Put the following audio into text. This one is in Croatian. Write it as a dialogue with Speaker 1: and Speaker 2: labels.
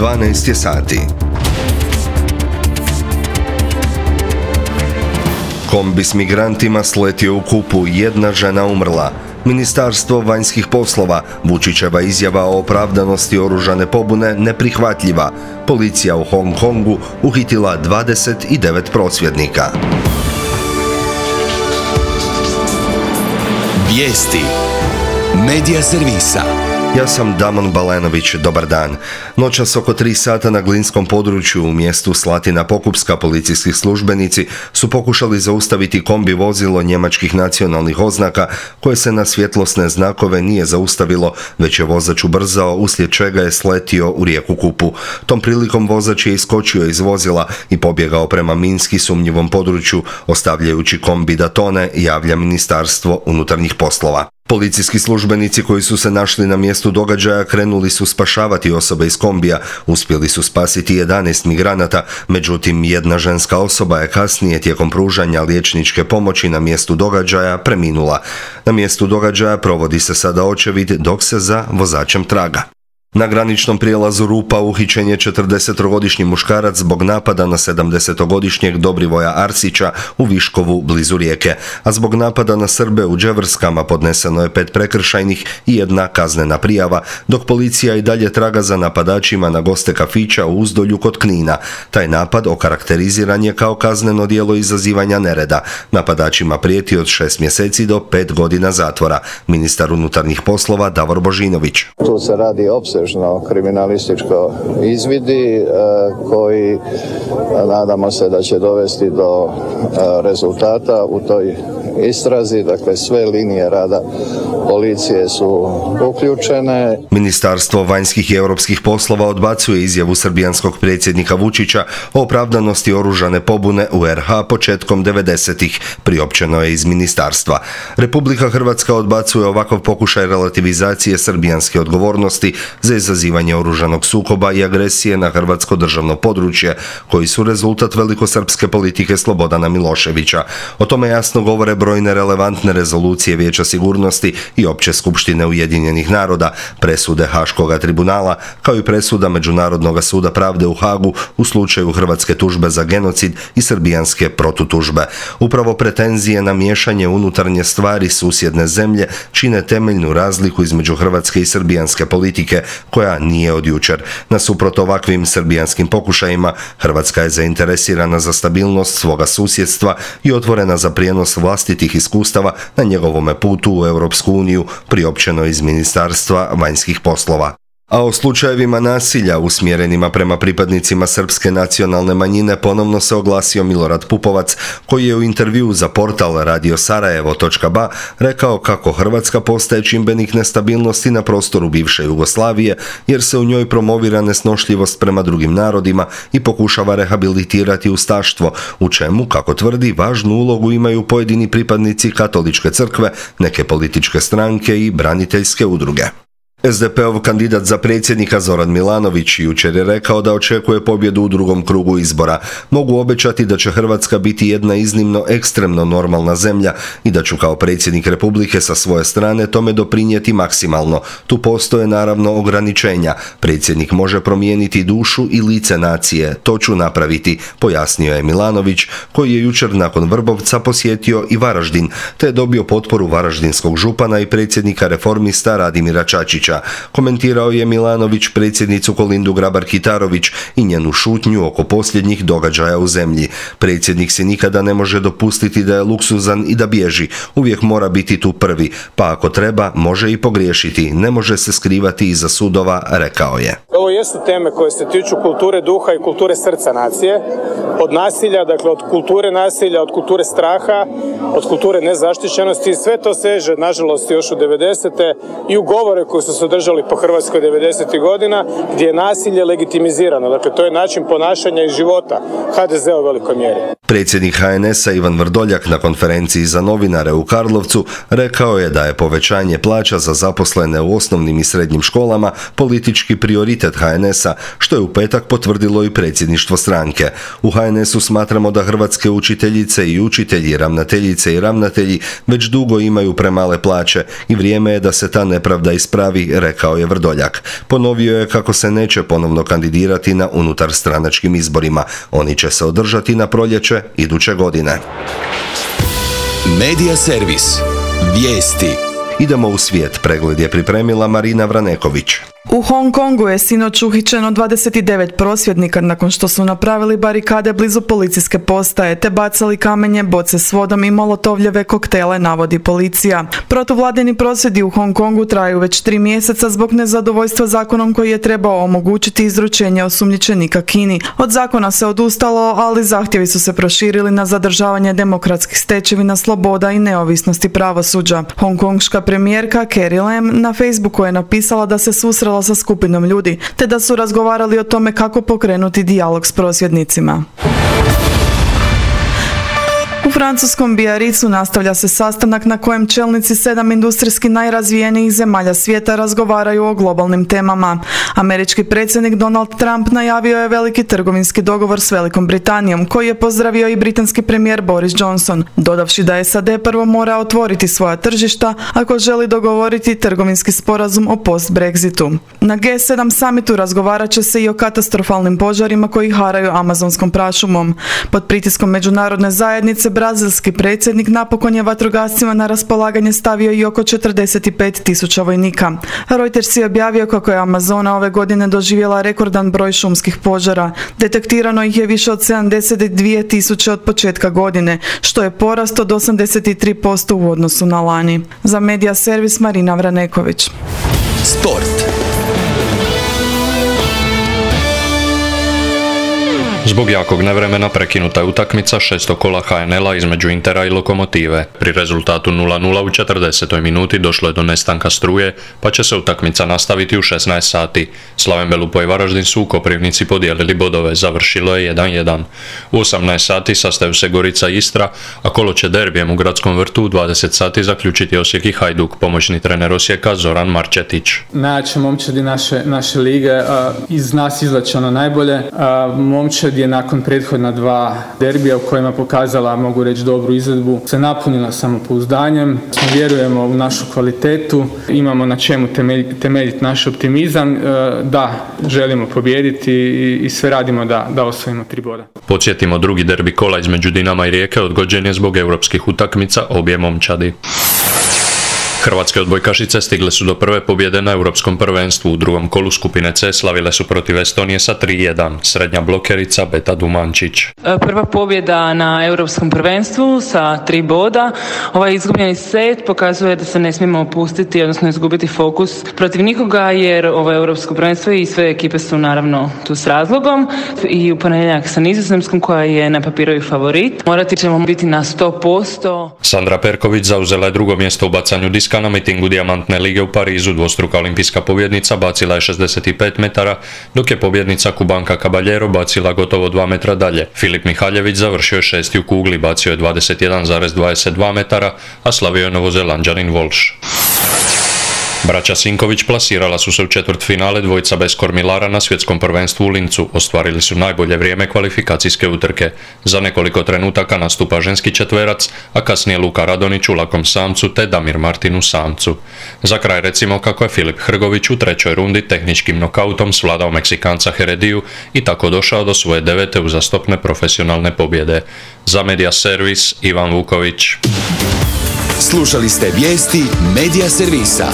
Speaker 1: 12 je sati. Kombi s migrantima sletio u Kupu, jedna žena umrla. Ministarstvo vanjskih poslova, Vučićeva izjava o opravdanosti oružane pobune neprihvatljiva. Policija u Hong Kongu uhitila 29 prosvjednika.
Speaker 2: Vijesti Medija servisa.
Speaker 1: Ja sam Damon Balenović, dobar dan. Noćas oko 3 sata na glinskom području u mjestu Slatina Pokupska policijski službenici su pokušali zaustaviti kombi vozilo njemačkih nacionalnih oznaka koje se na svjetlosne znakove nije zaustavilo, već je vozač ubrzao, uslijed čega je sletio u rijeku Kupu. Tom prilikom vozač je iskočio iz vozila i pobjegao prema minski sumnjivom području, ostavljajući kombi da tone, javlja Ministarstvo unutarnjih poslova. Policijski službenici koji su se našli na mjestu događaja krenuli su spašavati osobe iz kombija, uspjeli su spasiti 11 migranata, međutim jedna ženska osoba je kasnije tijekom pružanja liječničke pomoći na mjestu događaja preminula. Na mjestu događaja provodi se sada očevid dok se za vozačem traga. Na graničnom prijelazu Rupa uhićen je 40-godišnji muškarac zbog napada na 70-godišnjeg Dobrivoja Arsića u Viškovu blizu Rijeke, a zbog napada na Srbe u Đevrskama podneseno je 5 prekršajnih i 1 kaznena prijava, dok policija i dalje traga za napadačima na goste kafića u Uzdolju kod Knina. Taj napad okarakteriziran je kao kazneno djelo izazivanja nereda. Napadačima prijeti od 6 mjeseci do 5 godina zatvora. Ministar unutarnjih poslova Davor Božinović.
Speaker 3: Tu se radi kriminalističko izvidi koji nadamo se da će dovesti do rezultata u toj istrazi. Dakle, sve linije rada policije su uključene.
Speaker 1: Ministarstvo vanjskih i europskih poslova odbacuje izjavu srbijanskog predsjednika Vučića o opravdanosti oružane pobune u RH početkom 90-ih, priopćeno je iz ministarstva. Republika Hrvatska odbacuje ovakav pokušaj relativizacije srbijanske odgovornosti za izazivanje oružanog sukoba i agresije na hrvatsko državno područje, koji su rezultat velikosrpske politike Slobodana Miloševića. O tome jasno govore brojne relevantne rezolucije Vijeća sigurnosti i Opće skupštine Ujedinjenih naroda, presude Haškoga tribunala, kao i presuda Međunarodnog suda pravde u Hagu u slučaju hrvatske tužbe za genocid i srbijanske protutužbe. Upravo pretenzije na miješanje unutarnje stvari susjedne zemlje čine temeljnu razliku između hrvatske i srbijanske politike, koja nije od jučer. Nasuprot ovakvim srbijanskim pokušajima, Hrvatska je zainteresirana za stabilnost svoga susjedstva i otvorena za prijenos vlastitih iskustava na njegovome putu u Europsku uniju, priopćeno iz Ministarstva vanjskih poslova. A o slučajevima nasilja usmjerenima prema pripadnicima srpske nacionalne manjine ponovno se oglasio Milorad Pupovac, koji je u intervjuu za portal radiosarajevo.ba rekao kako Hrvatska postaje čimbenik nestabilnosti na prostoru bivše Jugoslavije, jer se u njoj promovira nesnošljivost prema drugim narodima i pokušava rehabilitirati ustaštvo, u čemu, kako tvrdi, važnu ulogu imaju pojedini pripadnici katoličke crkve, neke političke stranke i braniteljske udruge. SDP-ov kandidat za predsjednika Zoran Milanović jučer je rekao da očekuje pobjedu u drugom krugu izbora. Mogu obećati da će Hrvatska biti jedna iznimno ekstremno normalna zemlja i da ću kao predsjednik Republike sa svoje strane tome doprinijeti maksimalno. Tu postoje naravno ograničenja. Predsjednik može promijeniti dušu i lice nacije. To ću napraviti, pojasnio je Milanović, koji je jučer nakon Vrbovca posjetio i Varaždin, te je dobio potporu varaždinskog župana i predsjednika Reformista Radimira Čačića. Komentirao je Milanović predsjednicu Kolindu Grabar-Kitarović i njenu šutnju oko posljednjih događaja u zemlji. Predsjednik si nikada ne može dopustiti da je luksuzan i da bježi. Uvijek mora biti tu prvi, pa ako treba može i pogriješiti. Ne može se skrivati iza sudova, rekao je.
Speaker 4: Ovo jesu teme koje se tiču kulture duha i kulture srca nacije. Od nasilja, dakle od kulture nasilja, od kulture straha, od kulture nezaštićenosti. Sve to seže, nažalost, još u 90. i u govore koji su se održali po Hrvatskoj 90. godina, gdje je nasilje legitimizirano. Dakle, to je način ponašanja i života HDZ-a u velikoj mjeri.
Speaker 1: Predsjednik HNS-a Ivan Vrdoljak na konferenciji za novinare u Karlovcu rekao je da je povećanje plaća za zaposlene u osnovnim i srednjim školama politički prioritet HNS-a, što je u petak potvrdilo i predsjedništvo stranke. U HNS-u smatramo da hrvatske učiteljice i učitelji, ravnateljice i ravnatelji već dugo imaju premale plaće i vrijeme je da se ta nepravda ispravi, rekao je Vrdoljak. Ponovio je kako se neće ponovno kandidirati na unutarstranačkim izborima. Oni će se održati na proljeće iduće godine.
Speaker 2: Medija servis. Vijesti.
Speaker 1: Idemo u svijet. Pregled je pripremila Marina Vraneković.
Speaker 5: U Hong Kongu je sinoć uhićeno 29 prosvjednika nakon što su napravili barikade blizu policijske postaje te bacali kamenje, boce s vodom i molotovljeve koktele, navodi policija. Protuvladini prosvjedi u Hong Kongu traju već 3 mjeseca zbog nezadovoljstva zakonom koji je trebao omogućiti izručenje osumnjičenika Kini. Od zakona se odustalo, ali zahtjevi su se proširili na zadržavanje demokratskih stečevina, sloboda i neovisnosti pravosuđa. Hongkonška premijerka Carrie Lam na Facebooku je napisala da se susrela sa skupinom ljudi, te da su razgovarali o tome kako pokrenuti dijalog s prosvjednicima. U francuskom Biarritzu nastavlja se sastanak na kojem čelnici 7 industrijski najrazvijenijih zemalja svijeta razgovaraju o globalnim temama. Američki predsjednik Donald Trump najavio je veliki trgovinski dogovor s Velikom Britanijom, koji je pozdravio i britanski premijer Boris Johnson, dodavši da SAD prvo mora otvoriti svoja tržišta ako želi dogovoriti trgovinski sporazum o post-Brexitu. Na G7 summitu razgovarat će se i o katastrofalnim požarima koji haraju amazonskom prašumom. Pod pritiskom međunarodne zajednice brazilski predsjednik napokon je vatrogascima na raspolaganje stavio i oko 45.000 vojnika. Reuters je objavio kako je Amazona ove godine doživjela rekordan broj šumskih požara. Detektirano ih je više od 72.000 od početka godine, što je porast od 83% u odnosu na lani. Za Medija servis Marina Vraneković.
Speaker 2: Sport.
Speaker 6: Zbog jakog nevremena prekinuta je utakmica 6. kola HNL-a između Intera i Lokomotive. Pri rezultatu 0:0 u 40. minuti došlo je do nestanka struje, pa će se utakmica nastaviti u 16 sati. Slaven Belupo i Varaždin su u Koprivnici podijelili bodove, završilo je 1:1. U 18 sati sastaju se Gorica i Istra, a kolo će derbijem u Gradskom vrtu u 20 sati zaključiti Osijek i Hajduk, pomoćni trener Osijeka Zoran Marčetić.
Speaker 7: Najjače momčadi naše lige, iz nas izvlače ono najbolje. Momčad je nakon prethodna 2 derbija u kojima pokazala, mogu reći, dobru izvedbu, se napunila samopouzdanjem. Vjerujemo u našu kvalitetu, imamo na čemu temeljiti naš optimizam. Da, želimo pobijediti i sve radimo da osvojimo 3 boda.
Speaker 6: Podsjetimo, drugi derbi kola između Dinama i Rijeke odgođen je zbog europskih utakmica obje momčadi. Hrvatske odbojkašice stigle su do prve pobjede na Europskom prvenstvu. U drugom kolu skupine C slavile su protiv Estonije sa 3:1. Srednja blokerica Beta Dumančić.
Speaker 8: Prva pobjeda na Europskom prvenstvu sa 3 boda. Ovaj izgubljeni set pokazuje da se ne smijemo opustiti, odnosno izgubiti fokus protiv nikoga, jer ovo Europsko prvenstvo i sve ekipe su naravno tu s razlogom. I u ponedjeljak sa Nizozemskom, koja je na papiru i favorit. Morati ćemo biti na 100%.
Speaker 6: Sandra Perković zauzela je drugo mjesto u bacanju diska na mitingu Dijamantne lige u Parizu. Dvostruka olimpijska pobjednica bacila je 65 metara, dok je pobjednica Kubanka Caballero bacila gotovo 2 metra dalje. Filip Mihaljević završio je 6. u kugli, bacio je 21,22 metara, a slavio je Novozelanđanin Walsh. Braća Sinković plasirala su se u četvrtfinale dvojica bez kormilara na svjetskom prvenstvu u Lincu. Ostvarili su najbolje vrijeme kvalifikacijske utrke. Za nekoliko trenutaka nastupa ženski četverac, a kasnije Luka Radonić u lakom samcu te Damir Martin u samcu. Za kraj recimo kako je Filip Hrgović u 3. rundi tehničkim nokautom svladao Meksikanca Herediju i tako došao do svoje 9. uzastopne profesionalne pobjede. Za Medija servis Ivan Vuković.
Speaker 2: Slušali ste vijesti Medija servisa.